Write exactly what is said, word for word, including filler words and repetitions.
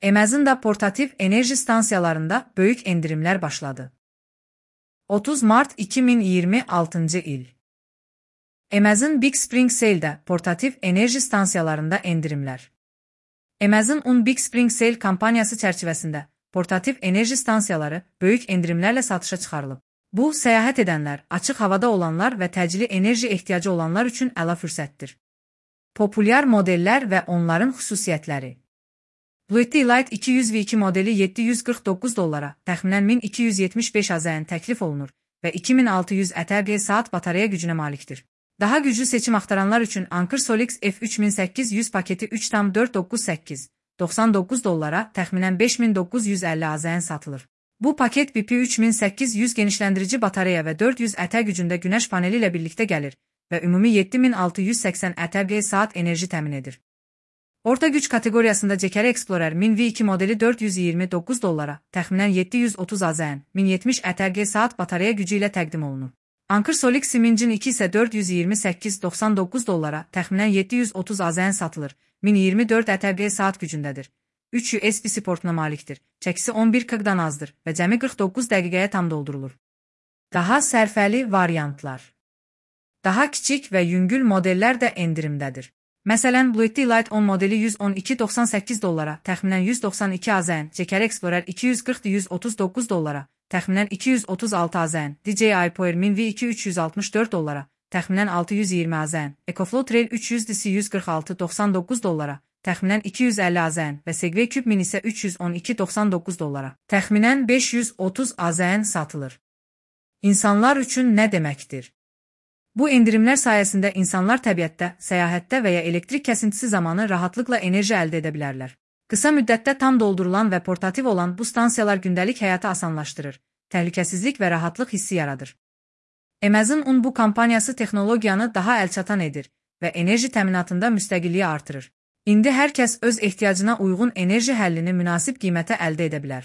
Amazon da portativ enerji stansiyalarında böyük endirimler başladı. otuz Mart iki min iyirmi altıncı il. Amazon Big Spring Sale'də portativ enerji stansiyalarında endirimlər. Amazon Big Spring Sale kampaniyası çərçivəsində portativ enerji stansiyaları böyük endirimlərlə satışa çıxarılıb. Bu, səyahət edənlər, açıq havada olanlar və təcili enerji ehtiyacı olanlar üçün əla fürsətdir. Populyar modellər və onların xüsusiyyətləri. Bluetooth Elite iki yüz V iki modeli yeddi yüz qırx doqquz dollara, təxminən min iki yüz yetmiş beş AZN təklif olunur və iki min altı yüz ətər saat batareya gücünə malikdir. Daha güclü seçim axtaranlar üçün Anker Solix F üç min səkkiz yüz paketi üç tam dörd doqquz səkkiz doxsan doqquz dollara, təxminən beş min doqquz yüz əlli AZN satılır. Bu paket B P üç min səkkiz yüz genişləndirici batareya və dörd yüz ətər gücündə günəş paneli ilə birlikdə gəlir və ümumi yeddi min altı yüz səksən ətər saat enerji təmin edir. Orta güc kateqoriyasında Jekeri Explorer min V iki modeli dörd yüz iyirmi doqquz dollara, təxminən yeddi yüz otuz AZN, min yetmiş ətər saat batareya gücü ilə təqdim olunur. Anker Solix Simingin iki isə dörd yüz iyirmi səkkiz doxsan doqquz dollara, təxminən yeddi yüz otuz AZN satılır, min iyirmi dörd ətər saat gücündədir. üç U S B portuna malikdir, çəkisi on bir kqdan azdır və cəmi qırx doqquz dəqiqəyə tam doldurulur. Daha sərfəli variantlar. Daha kiçik və yüngül modellər də endirimdədir. Məsələn, Bluetooth Elite on modeli yüz on iki doxsan səkkiz dollara, təxminən yüz doxsan iki AZN, Jekeri Explorer iki yüz qırx yüz otuz doqquz dollara, təxminən iki yüz otuz altı AZN, D J I Power min V iki üç yüz altmış dörd dollara, təxminən altı yüz iyirmi AZN, EcoFlow Trail üç yüz D C yüz qırx altı doxsan doqquz dollara, təxminən iki yüz əlli AZN və Segway Cube Mini isə üç yüz on iki doxsan doqquz dollara, təxminən beş yüz otuz AZN satılır. İnsanlar üçün nə deməkdir? Bu endirimlər sayəsində insanlar təbiətdə, səyahətdə və ya elektrik kəsintisi zamanı rahatlıqla enerji əldə edə bilərlər. Qısa müddətdə tam doldurulan və portativ olan bu stansiyalar gündəlik həyatı asanlaşdırır, təhlükəsizlik və rahatlıq hissi yaradır. Amazon bu kampaniyası texnologiyanı daha əlçatan edir və enerji təminatında müstəqilliyi artırır. İndi hər kəs öz ehtiyacına uyğun enerji həllini münasib qiymətə əldə edə bilər.